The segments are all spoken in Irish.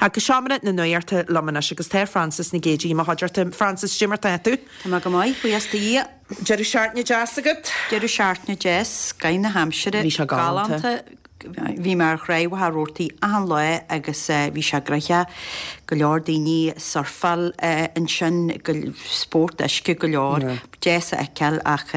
Ach go seomra na nuachta liom anois agus tá Frances Nic Géadaigh i mo chuideachta. Frances, cad é mar tá tú? Tá mé go maith, buíochas do Dhia. Deireadh seachtaine deas agat? Deireadh seachtaine deas, scoth na haimsire. Bhí sé galánta. Bhí mé ar Thráigh Mhachaire Rabhartaigh achan lá agus bhí sé gnoitheach. Go leor daoine ag surfáil ansin, spórt uisce go leor. Deas a fheiceáil ach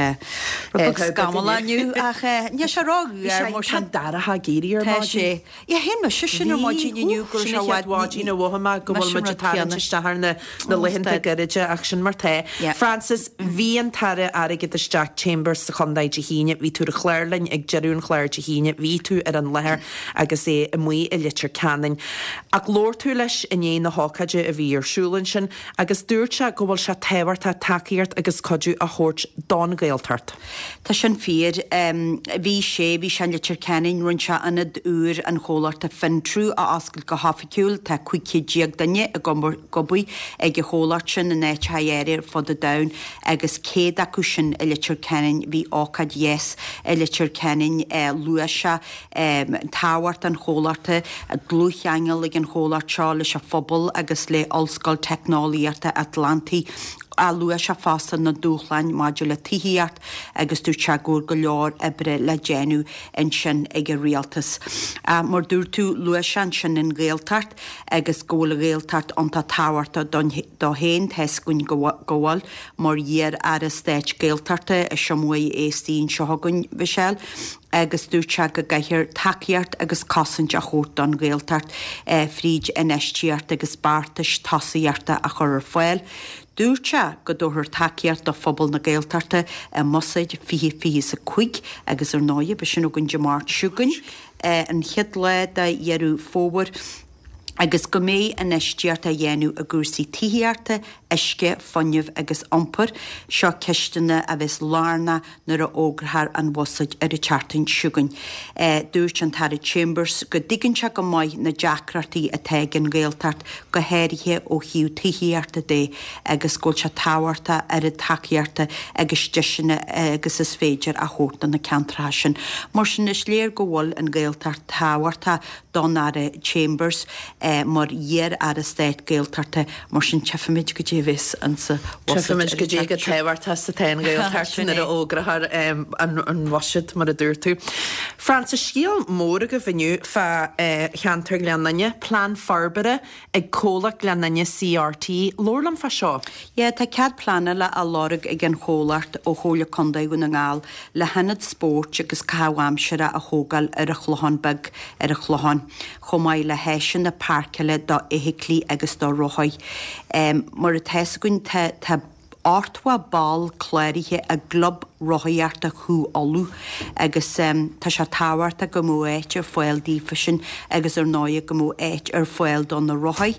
rud beag scamallach inniu ach níl sé rófhuar mar sin. Tá dorcha ag éirí ar maidin. Tá sé. Yeah, shíl mise sin ar maidin inniu go raibh sé i bhfad. Sin an chéad mhaidin a mhothaigh mé go bhfuil muid ag tarraingt isteach ar na laethanta gairide ach sin mar tá. Frances, bhí an tAire Airgeadais Jack Chambers sa chontae Dé hAoine, bhí tú ar an chlár linn ag deireadh an chláir Dé hAoine, bhí tú ar an láthair agus é amuigh i Leitir Ceanainn. Ach labhair tú leis i ndiaidh na hócáide a bhí ar siúl ansin agus dúirt sé go bhfuil sé tábhachtach tacaíocht agus cuidiú a thabhairt don Ghaeltacht. Tá sin fíor. Bhí sé, bhí sé in Leitir Ceanainn, rinne sé ionad úr an chomhlachta Fintru a oscailt go hoifigiúil. Tá 15 chéad duine ag obair ag an chomhlacht sin in áiteacha áirithe ar fud an domhain agus 100 acu sin i Leitir Ceanainn. Bhí ócáid dheas i Leitir Ceanainn. Luaigh sé tábhacht an chomhlachta, dlúthcheangal ag an chomhlacht seo leis an phobal agus le Ollscoil Teicneolaíochta Atlantaigh. Luaigh sé fosta na dúshláin maidir le tithíocht agus dúirt sé go bhfuil go leor oibre le déanamh ansin ag an rialtas. Mar dúirt tú, luaigh sé ansin an Ghaeltacht agus go bhfuil an Ghaeltacht iontach tábhachtach dó féin, tá 'fhios againn go bhfuil, mar iar-aire stáit Gaeltachta is iomaí uair a bheas anseo againn, Michelle. agus dúirt sé go gcaithfear tacaíocht agus cosaint a thabhairt don Ghaeltacht fríd infheistíocht agus beartais tosaíochta a chur ar fáil. Dúirt sé go dtabharfar tacaíocht do phobal na Gaeltachta i mBuiséad 2025 agus ar ndóigh beidh sin againn Dé Máirt seo chugainn, an chéad lá de Dheireadh Fómhair. agus go mbeidh infheistíocht á dhéanamh i gcúrsaí tithíochta, uisce, fuinnimh agus iompair. Seo ceisteanna a bheas lárnach nuair a fhógrófar an Bhuiséad ar an tseachtain seo chugainn. Dúirt an tAire Chambers go dtuigeann sé go maith na deacrachtaí atá ag an nGaeltacht, go háirithe ó thaobh tithíochta de, agus go bhfuil sé tábhachtach oiread tacaíochta agus deiseanna agus is féidir a thabhairt do na ceantracha sin. Mar sin, is léir go bhfuil an Ghaeltacht tábhachtach don Aire Chambers mar iar-Aire Stáit Gaeltachta, mar sin tchífimid goidé a bheas insa bhuiséad. Tchífimid goidé chomh tábhachtach is atá an Ghaeltacht nuair a fhógrófar an bhuiséad, mar a dúirt tú. Frances, scéal mór agaibh inniu fá cheantar Ghleann Fhinne, plean forbartha ag comhlacht Ghleann Fhinne CRT. Labhair liom fá seo. Yeah, tá cead pleanála á lorg ag an chomhlacht ó Chomhairle Contae Dhún na nGall le hionad spóirt agus caitheamh aimsire a thógáil ar an Chlochán Beag ar an Chlochán, chomh maith le háiseanna páirceála do fheithiclí agus do rothaí. Mar atá 'fhios againn tá tá 80 ball cláraithe i gClub Rothaíochta Chú Uladh agus tá sé tábhachtach go mbeadh áit ar fáil daofa sin agus ar ndóigh go mbeadh áit ar fáil do na rothaí.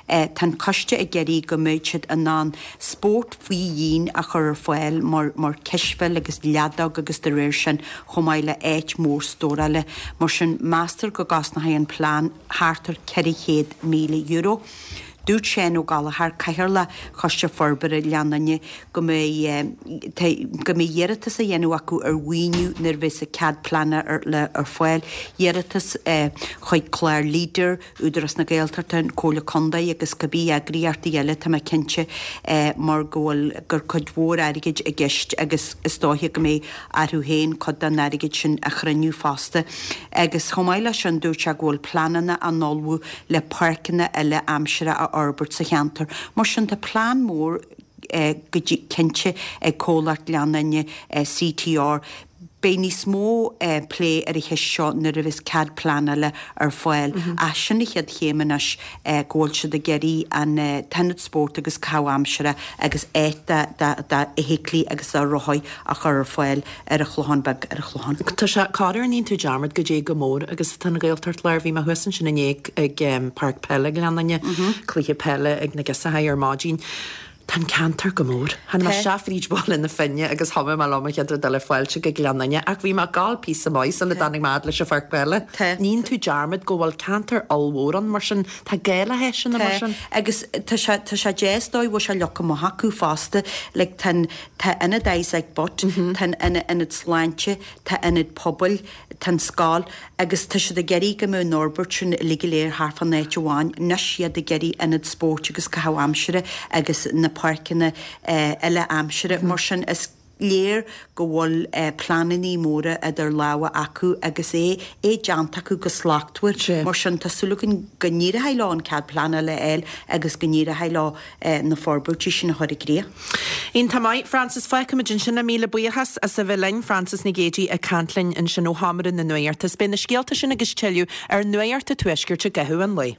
Tá an coiste ag iarraidh go mbeadh siad in ann spórt faoi dhíon a chur ar fáil mar mar cispheil agus leadóg agus de réir sin chomh maith le áit mhór stórála. Mar sin meastar go gcosnóidh an plean thart ar €400,000. Dúirt Seán Ó Gallchóir, Cathaoirleach Choiste Forbartha Ghleann Fhinne, go mbeidh go mbeidh iarratas á dhéanamh acu ar mhaoiniú nuair a bheas an cead pleanála ar fáil, iarratas chuig clár Leader, Údarás na Gaeltachta, an Comhairle Contae agus cibé eagraíochtaí eile tá mé cinnte mar go bhfuil gur cuid mhór airgid i gceist agus is dóiche go mbeidh orthu féin cuid den airgead sin a chruinniú fosta. Agus chomh maith leis sin dúirt sé go bhfuil pleananna á n-ullmhú le páirceanna eile aimsire a fhorbairt sa cheantar. Mar sin tá plean mór go cinnte ag comhlacht Ghleann Fhinne, CTR. Beidh níos mó plé ar an cheist seo nuair a bheas cead pleanála ar fáil ach sin an chéad chéim anois go bhfuil siad ag iarraidh an t-ionad spóirt agus caitheamh aimsire agus áit d'fheithiclí agus do rothaí a chur ar fáil ar an Chlochán Beag ar an Chlochán. Tá sé corruair níonn tú dearmad goidé chomh mór agus atá an Ghaeltacht Láir. Bhí mé thuas ansin inné ag páirc peile Ghleann Fhinne, cluiche peile ag na girseachaí ar maidin. Tá an ceantar go mór. Tháinig mé isteach fríd Bhaile na Finne agus thiomáin mé liom an chéad rud eile fáilte go Gleann Fhinne ach bhí mé ag gabháil píosa maith sula dtáinig mé fhad leis an pháirc peile. Níonn tú dearmad go bhfuil ceantar ollmhór ann mar sin tá gá le háiseanna mar sin. Agus tá sé tá sé deas dóigh bhfuil sé leagtha amach acu fosta like tá an tá ionad Isaac Butt, tá an ionad sláinte, tá ionad pobail. Tá an scoil agus tá siad ag iarraidh go mbeadh an fhorbairt sin uilig go léir thart fán áit amháin. Anois iad ag iarraidh ionad spóirt agus caitheamh aimsire agus na páirceanna eile aimsire. Mar sin is léir go bhfuil pleanannaí móra idir lámha acu agus é é déanta acu go slachtmhar. Mar sin tá súil againn go n-éireoidh leo an cead pleanála a fháil agus go n-éireoidh leo na forbairtí sin a chur i gcrích. Iontach maith, Frances. Fágfaimid ansin é. Míle buíochas as a bheith linn. Frances Nic Géadaigh ag caint linn ansin ó Sheomra na Nuachta. Beidh na scéalta sin agus tuilleadh ar Nuacht an Tuaiscirt i gcaitheamh an lae.